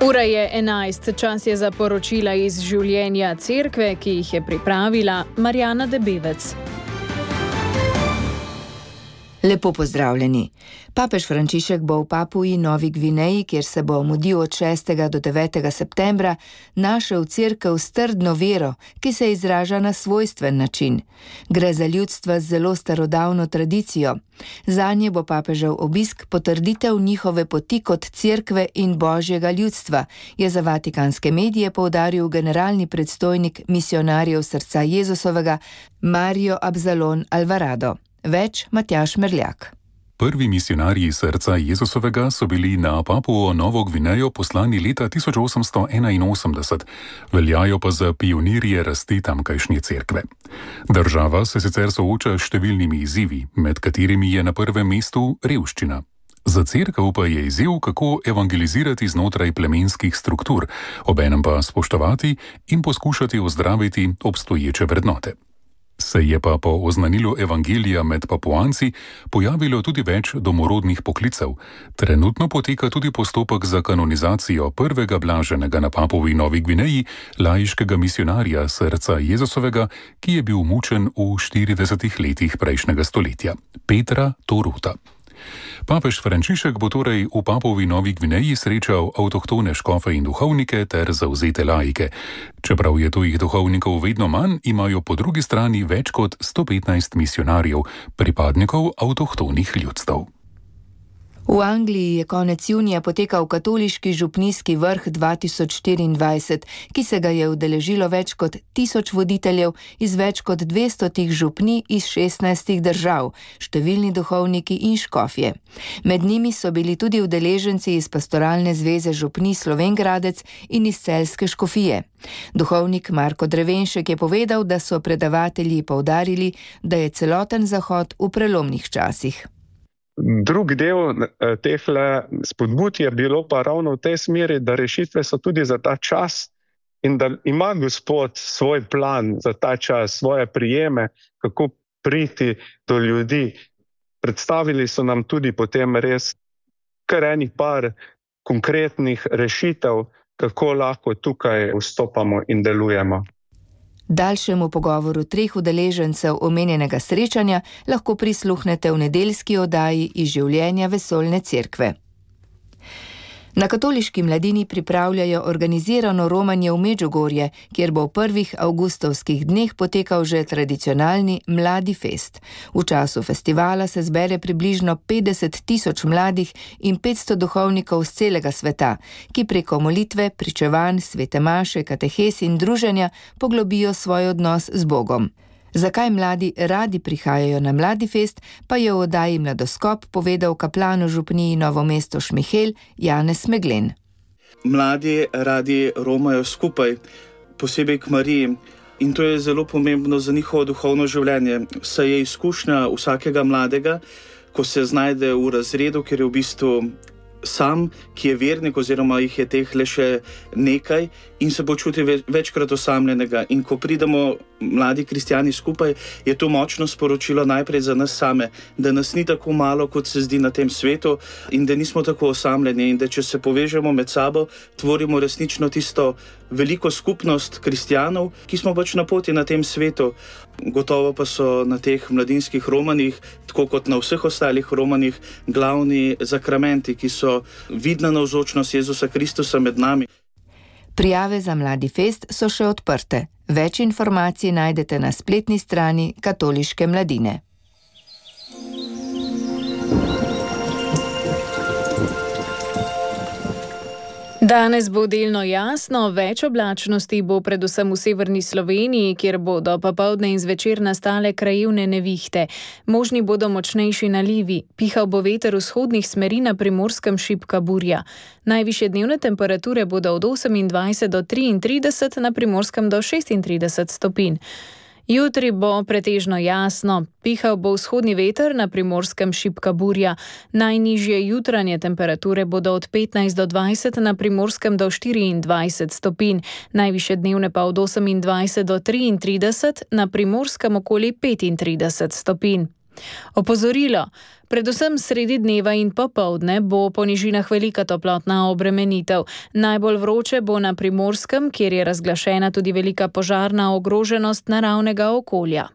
Ura je 11, čas je za poročila iz življenja cerkve, ki jih je pripravila Marjana Debevec. Lepo pozdravljeni. Papež Frančišek bo v Papui Novi Gvineji, kjer se bo mudil od 6. do 9. septembra, našel cerkev s trdno vero, ki se izraža na svojstven način. Gre za ljudstva z zelo starodavno tradicijo. Zanje bo papežev obisk potrditev njihove poti kot cerkve in božjega ljudstva, je za vatikanske medije poudaril generalni predstojnik misionarjev srca Jezusovega Mario Absalon Alvarado. Več Matjaž Merljak. Prvi misionarji srca Jezusovega so bili na Papuo Novo Gvinejo poslani leta 1881, veljajo pa za pionirje rasti tamkajšnje cerkve. Država se sicer sooča s številnimi izzivi, med katerimi je na prvem mestu revščina. Za cerkev pa je izziv, kako evangelizirati znotraj plemenskih struktur, obenem pa spoštovati in poskušati ozdraviti obstoječe vrednote. Se je pa po oznanilu evangelija med Papuanci pojavilo tudi več domorodnih poklicev. Trenutno poteka tudi postopek za kanonizacijo prvega blaženega na Papuji Novi Gvineji, laiškega misionarja srca Jezusovega, ki je bil mučen v 40 letih prejšnjega stoletja, Petra Toruta. Papež Frančišek bo torej v Papuji Novi Gvineji srečal avtohtone škofe in duhovnike ter zavzete laike. Čeprav je tujih duhovnikov vedno manj, imajo po drugi strani več kot 115 misionarjev, pripadnikov avtohtonih ljudstev. V Angliji je konec junija potekal katoliški župnijski vrh 2024, ki se ga je udeležilo več kot 1000 voditeljev iz več kot 200 župnij iz 16 držav, številni duhovniki in škofje. Med njimi so bili tudi udeleženci iz Pastoralne zveze župnij Slovenj Gradec in iz Celjske škofije. Duhovnik Marko Drevenšek je povedal, da so predavatelji poudarili, da je celoten Zahod v prelomnih časih. Drug del tehle spodbud je bilo pa ravno v tej smeri, da rešitve so tudi za ta čas in da ima Gospod svoj plan za ta čas, svoje prijeme, kako priti do ljudi. Predstavili so nam tudi potem res kar enih par konkretnih rešitev, kako lahko tukaj vstopamo in delujemo. Daljšemu pogovoru 3 udeležencev omenjenega srečanja lahko prisluhnete v nedeljski oddaji iz življenja vesoljne cerkve. Na katoliški mladini pripravljajo organizirano romanje v Medžugorje, kjer bo v prvih avgustovskih dneh potekal že tradicionalni Mladi fest. V času festivala se zbere približno 50 000 mladih in 500 duhovnikov z celega sveta, ki preko molitve, pričevanj, svete maše, katehes in druženja poglobijo svoj odnos z Bogom. Zakaj mladi radi prihajajo na Mladi fest, pa je v oddaji Mladoskop povedal kaplan v župniji Novo mesto Šmihelj Janez Meglen. Mladi radi romajo skupaj, posebej k Mariji, in to je zelo pomembno za njihovo duhovno življenje. Saj je izkušnja vsakega mladega, ko se znajde v razredu, ker je v bistvu sam, ki je vernik oziroma jih je teh le še nekaj in se počuti večkrat osamljenega. In ko pridemo mladi kristjani skupaj, je to močno sporočilo najprej za nas same, da nas ni tako malo, kot se zdi na tem svetu in da nismo tako osamljeni in da če se povežemo med sabo, tvorimo resnično tisto veliko skupnost kristjanov, ki smo pač na poti na tem svetu. Gotovo pa so na teh mladinskih romanjih, tako kot na vseh ostalih romanjih, glavni zakramenti, ki so vidna navzočnost Jezusa Kristusa med nami. Prijave za Mladi fest so še odprte. Več informacij najdete na spletni strani Katoliške mladine. Danes bo delno jasno, več oblačnosti bo predvsem v severni Sloveniji, kjer bodo popoldne in zvečer nastale krajevne nevihte. Možni bodo močnejši nalivi, pihal bo veter vzhodnih smeri, na Primorskem šibka burja. Najvišje dnevne temperature bodo od 28 do 33, na Primorskem do 36 stopinj. Jutri bo pretežno jasno, pihal bo vzhodni veter, na Primorskem šibka burja. Najnižje jutranje temperature bodo od 15 do 20, na Primorskem do 24 stopinj, najvišje dnevne pa od 28 do 33, na Primorskem okoli 35 stopinj. Opozorilo. Predvsem sredi dneva in popoldne bo po nižinah velika toplotna obremenitev. Najbolj vroče bo na Primorskem, kjer je razglašena tudi velika požarna ogroženost naravnega okolja.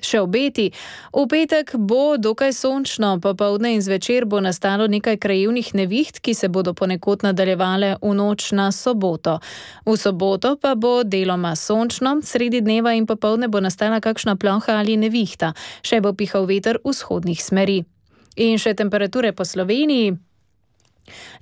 Še obeti. V petek bo dokaj sončno, popoldne in zvečer bo nastalo nekaj krajevnih neviht, ki se bodo ponekod nadaljevale v noč na soboto. V soboto pa bo deloma sončno, sredi dneva in popoldne bo nastala kakšna ploha ali nevihta. Še bo pihal veter vzhodnih smeri. In še temperature po Sloveniji.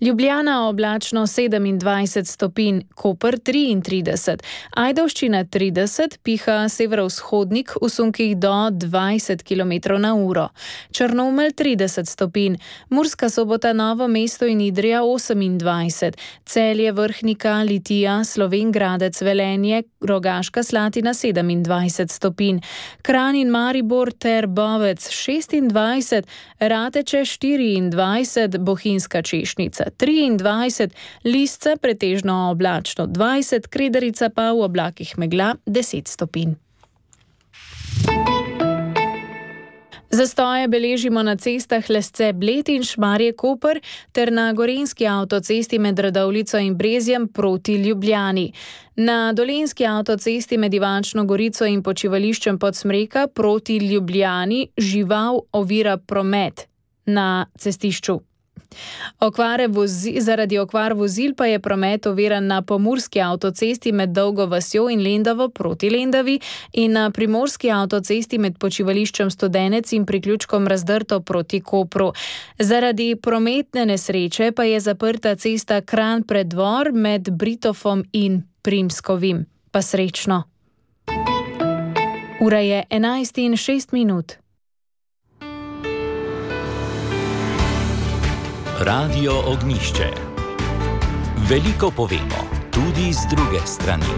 Ljubljana oblačno 27 stopinj, Koper 33, Ajdovščina 30, piha severovzhodnik v sunkih do 20 km/h, Črnomelj 30 stopinj, Murska Sobota, Novo mesto in Idrija 28, Celje, Vrhnika, Litija, Slovenj Gradec, Velenje, Rogaška Slatina 27 stopinj, Kranj in Maribor ter Bovec 26, Rateče 24, Bohinjska Češnjica 23, Lisca pretežno oblačno 20, Kredarica pa v oblakih megla 10 stopinj. Zastoje beležimo na cestah Lesce, Bled in Šmarje-Koper ter na gorenjski avtocesti med Radovljico in Brezjem proti Ljubljani. Na dolenjski avtocesti med Ivančno Gorico in počivališčem Podsmreka proti Ljubljani žival ovira promet na cestišču. Zaradi okvar vozil pa je promet oviran na pomurski avtocesti med Dolgo vasjo in Lendovo proti Lendavi in na primorski avtocesti med počivališčem Studenec in priključkom Razdrto proti Kopru. Zaradi prometne nesreče pa je zaprta cesta Kranj Preddvor med Britofom in Primskovim. Pa srečno. Ura je 11:06. Radio Ognjišče. Veliko povemo, tudi z druge strani.